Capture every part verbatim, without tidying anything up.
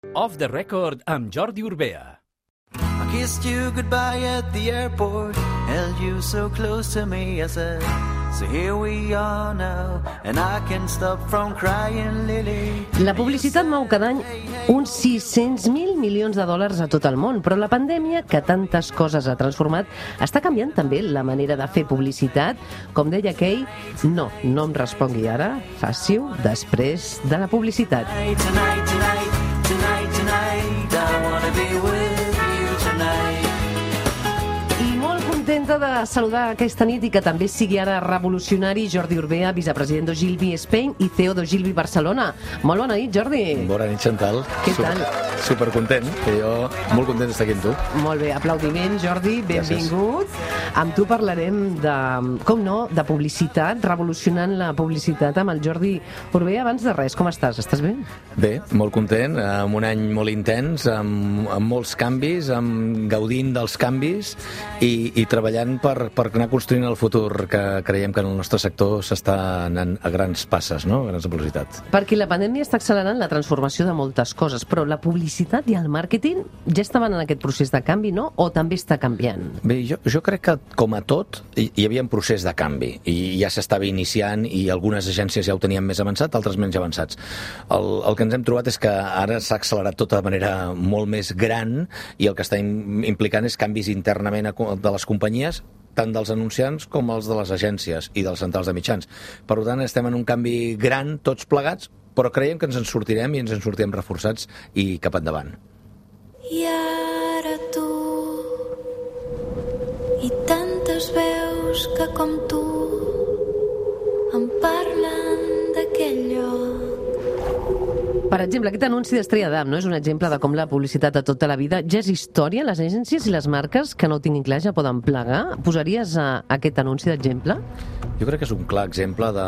Off the Record amb Jordi Urbea. I kissed you goodbye at the airport, held you so close to me, I said, so here we are now, and I can't stop from crying, Lily. La publicitat mou cada any uns sis-cents mil milions de dòlars a tot el món, però la pandèmia, que tantes coses ha transformat, està canviant també la manera de fer publicitat. Com deia aquell, no, no em respongui ara, faci-ho després de la publicitat. Tonight, tonight, tonight, tonight, tonight, I wanna be with you tonight. I molt contenta de saludar aquesta nit i que també sigui ara revolucionari Jordi Urbea, vicepresident d'Ogilvy Spain i C E O d'Ogilvy Barcelona. Molt bona nit, Jordi. Bona nit, Chantal. Què Super, tal? Supercontent, que jo molt content d'estar aquí amb tu. Molt bé, aplaudiment, Jordi, benvingut. Gràcies. Amb tu parlarem de, com no, de publicitat, revolucionant la publicitat amb el Jordi Urbea. Abans de res, com estàs? Estàs bé? Bé, molt content, amb un any molt intens, amb, amb molts canvis, amb gaudint dels canvis i, i treballant per, per anar construint el futur, que creiem que en el nostre sector s'està anant a grans passes, no? A grans velocitats. Perquè la pandèmia està accelerant la transformació de moltes coses, però la publicitat i el màrqueting ja estaven en aquest procés de canvi, no? O també està canviant? Bé, jo, jo crec que, com a tot, hi, hi havia un procés de canvi i ja s'estava iniciant i algunes agències ja ho tenien més avançat, altres menys avançats. El, el que ens hem trobat és que ara s'ha accelerat tot de manera molt més gran i el que està implicant és canvis internament de les companyies, tant dels anunciants com els de les agències i dels centrals de mitjans. Per tant, estem en un canvi gran, tots plegats, però creiem que ens en sortirem i ens en sortirem reforçats i cap endavant. I ara tu i tantes veus que com tu em parlen d'aquell lloc. Per exemple, aquest anunci d'Estrella d'Am, no? És un exemple de com la publicitat de tota la vida ja és història. Les agències i les marques que no ho tinguin clar ja poden plegar. Posaries a aquest anunci d'exemple? Jo crec que és un clar exemple de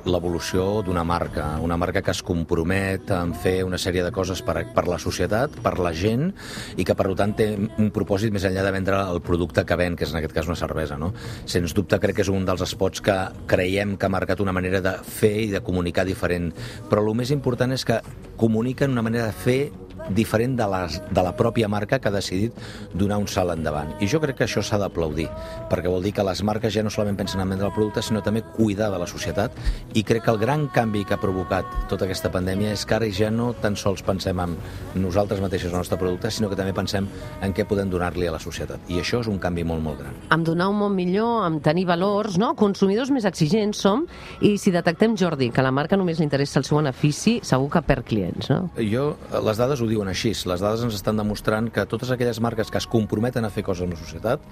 l'evolució d'una marca, una marca que es compromet en fer una sèrie de coses per, per la societat, per la gent, i que per tant té un propòsit més enllà de vendre el producte que ven, que és en aquest cas una cervesa, no? Sens dubte crec que és un dels spots que creiem que ha marcat una manera de fer i de comunicar diferent, però el més important és que comuniquen una manera de fer diferent de, les, de la pròpia marca que ha decidit donar un salt endavant. I jo crec que això s'ha d'aplaudir, perquè vol dir que les marques ja no solament pensen en vendre el producte, sinó també cuidar de la societat, i crec que el gran canvi que ha provocat tota aquesta pandèmia és que ara ja no tan sols pensem en nosaltres mateixos el nostre producte, sinó que també pensem en què podem donar-li a la societat. I això és un canvi molt, molt gran. Amb donar un món millor, amb tenir valors, no? Consumidors més exigents som, i si detectem, Jordi, que a la marca només li interessa el seu benefici, segur que perd clients, no? Jo, les dades ho diuen així. Les dades ens estan demostrant que totes aquelles marques que es comprometen a fer coses amb la societat,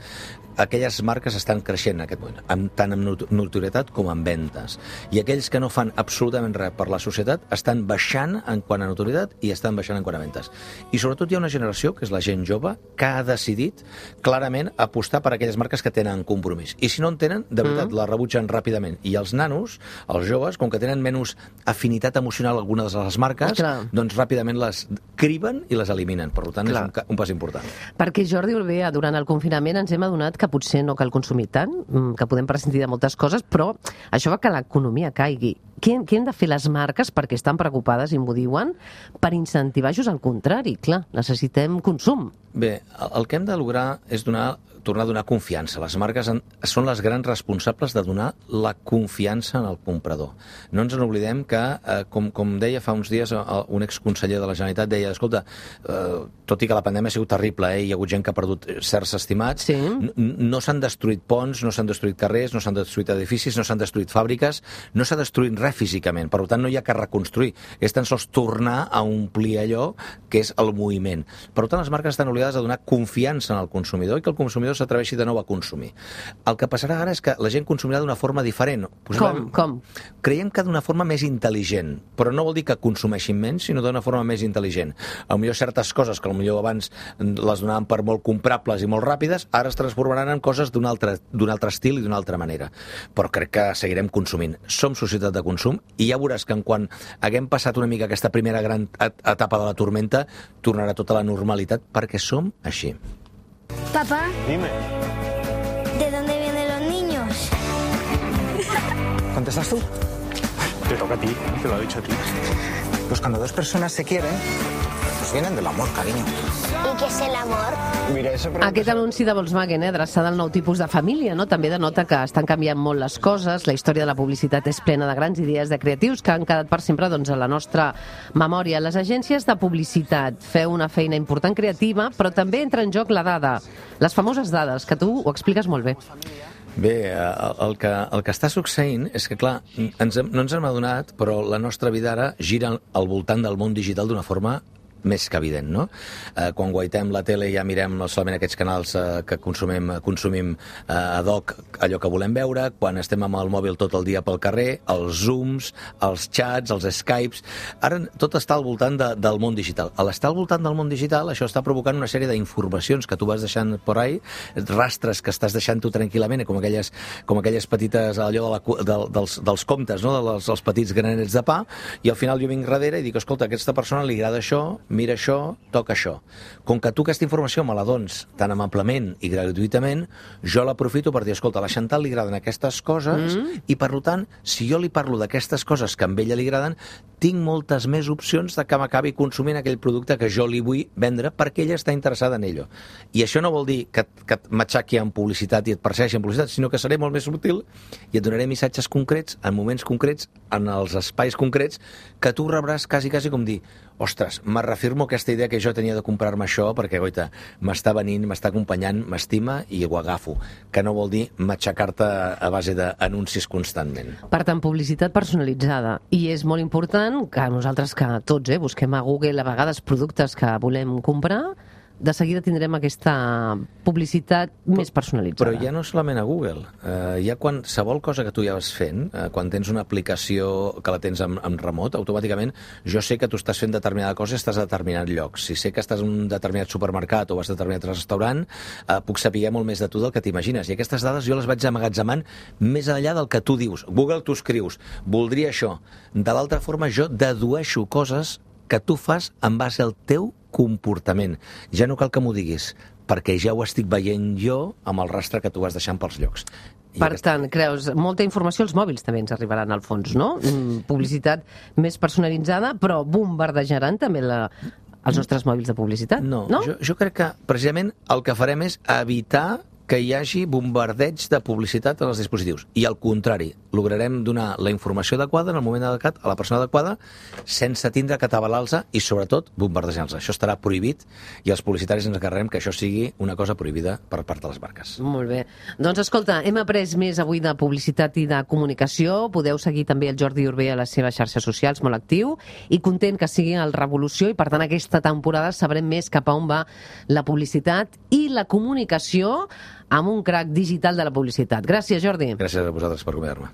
aquelles marques estan creixent en aquest moment, amb, tant amb notorietat com amb ventes. I aquells que no fan absolutament res per la societat estan baixant en quant a notorietat i estan baixant en quant a ventes. I sobretot hi ha una generació, que és la gent jove, que ha decidit clarament apostar per aquelles marques que tenen compromís. I si no en tenen, de veritat, mm. la rebutgen ràpidament. I els nanos, els joves, com que tenen menys afinitat emocional a algunes de les marques, Clar. doncs ràpidament les criben i les eliminen. Per tant, Clar. és un, un pas important. Perquè, Jordi Urbea, durant el confinament ens hem adonat que potser no cal consumir tant, que podem prescindir de moltes coses, però això fa que l'economia caigui. Què, què han de fer les marques, perquè estan preocupades i m'ho diuen, per incentivar-los al contrari? Clar, necessitem consum. Bé, el que hem de lograr és donar tornar a donar confiança. Les marques en, són les grans responsables de donar la confiança en el comprador. No ens n'oblidem que, eh, com, com deia fa uns dies un exconseller de la Generalitat, deia, escolta, eh, tot i que la pandèmia ha sigut terrible, eh, hi ha hagut gent que ha perdut certs estimats, sí. no s'han destruït ponts, no s'han destruït carrers, no s'han destruït edificis, no s'han destruït fàbriques, no s'ha destruït res físicament, per tant no hi ha que reconstruir, és tan sols tornar a omplir allò que és el moviment. Per tant, les marques estan obligades a donar confiança en el consumidor i que el consumidor s'atreveixi de nou a consumir. El que passarà ara és que la gent consumirà d'una forma diferent. Com? Com? Creiem que d'una forma més intel·ligent, però no vol dir que consumeixin menys, sinó d'una forma més intel·ligent. A millor certes coses que potser abans les donaven per molt comprables i molt ràpides, ara es transformaran en coses d'un altre, d'un altre estil i d'una altra manera. Però crec que seguirem consumint. Som societat de consum i ja veuràs que en quan haguem passat una mica aquesta primera gran etapa de la tormenta, tornarà tota la normalitat, perquè som així. Papá. Dime. ¿De dónde vienen los niños? ¿Contestas tú? Te toca a ti, te lo he dicho a ti. Pues cuando dos personas se quieren, abrazos vienen del amor, cariño. ¿Y qué es el amor? Mira, eso... Aquest anunci de Volkswagen, eh, adreçada al nou tipus de família, no? també denota que estan canviant molt les coses. La història de la publicitat és plena de grans idees de creatius que han quedat per sempre doncs, a la nostra memòria. Les agències de publicitat feu una feina important creativa, però també entra en joc la dada, les famoses dades, que tu ho expliques molt bé. Bé, el que, el que està succeint és que, clar, ens, no ens hem adonat, però la nostra vida ara gira al voltant del món digital d'una forma més que evident, no? Eh, quan guaitem la tele ja mirem no solament aquests canals eh, que consumim, consumim eh, ad hoc allò que volem veure, quan estem amb el mòbil tot el dia pel carrer, els Zooms, els chats, els Skypes... Ara tot està al voltant de, del món digital. A l'estar al voltant del món digital, això està provocant una sèrie d'informacions que tu vas deixant por ahí, rastres que estàs deixant tu tranquil·lament, com aquelles, com aquelles petites, allò de la, de, dels, dels comptes, no? dels, dels petits granets de pa, i al final jo vinc darrere i dic, escolta, a aquesta persona li agrada això, mira això, toca això. Com que tu aquesta informació me la dones tan amablement i gratuïtament, jo l'aprofito per dir, escolta, a la Chantal li agraden aquestes coses mm. i, per tant, si jo li parlo d'aquestes coses que a ella li agraden, tinc moltes més opcions de que m'acabi consumint aquell producte que jo li vull vendre perquè ella està interessada en ell. I això no vol dir que, que m'aixequi en publicitat i et persegueixi en publicitat, sinó que seré molt més subtil i et donaré missatges concrets, en moments concrets, en els espais concrets, que tu rebràs quasi, quasi com dir, ostres, me reafirmo aquesta idea que jo tenia de comprar-me això perquè, goita, m'està venint, m'està acompanyant, m'estima i ho agafo, que no vol dir matxacar-te a base d'anuncis constantment. Per tant, publicitat personalitzada. I és molt important que nosaltres, que tots eh, busquem a Google a vegades productes que volem comprar, de seguida tindrem aquesta publicitat però, més personalitzada. Però ja no solament a Google. Eh, hi ha qualsevol cosa que tu ja vas fent, eh, quan tens una aplicació que la tens en, en remot, automàticament jo sé que tu estàs fent determinada cosa i estàs a determinat lloc. Si sé que estàs en un determinat supermercat o vas a determinat restaurant, eh, puc saber molt més de tu del que t'imagines. I aquestes dades jo les vaig amagatzemant més enllà del que tu dius. Google, tu escrius, voldria això. De l'altra forma, jo dedueixo coses que tu fas en base al teu comportament. Ja no cal que m'ho diguis, perquè ja ho estic veient jo amb el rastre que tu vas deixant pels llocs. I per aquesta... tant, creus, molta informació als mòbils també ens arribaran al fons, no? Mm, publicitat més personalitzada, però bombardejaran també la, els nostres mòbils de publicitat, no? No, jo, jo crec que precisament el que farem és evitar que hi hagi bombardeig de publicitat en els dispositius. I al contrari, lograrem donar la informació adequada en el moment adequat a la persona adequada sense tindre que atabalar-los i, sobretot, bombardejar-los. Això estarà prohibit i els publicitaris ens encarreguem que això sigui una cosa prohibida per part de les marques. Molt bé. Doncs, escolta, hem après més avui de publicitat i de comunicació. Podeu seguir també el Jordi Urbea a les seves xarxes socials, molt actiu, i content que sigui el Revolució, i per tant aquesta temporada sabrem més cap a on va la publicitat i la comunicació amb un crac digital de la publicitat. Gràcies, Jordi. Gràcies a vosaltres per convidar-me.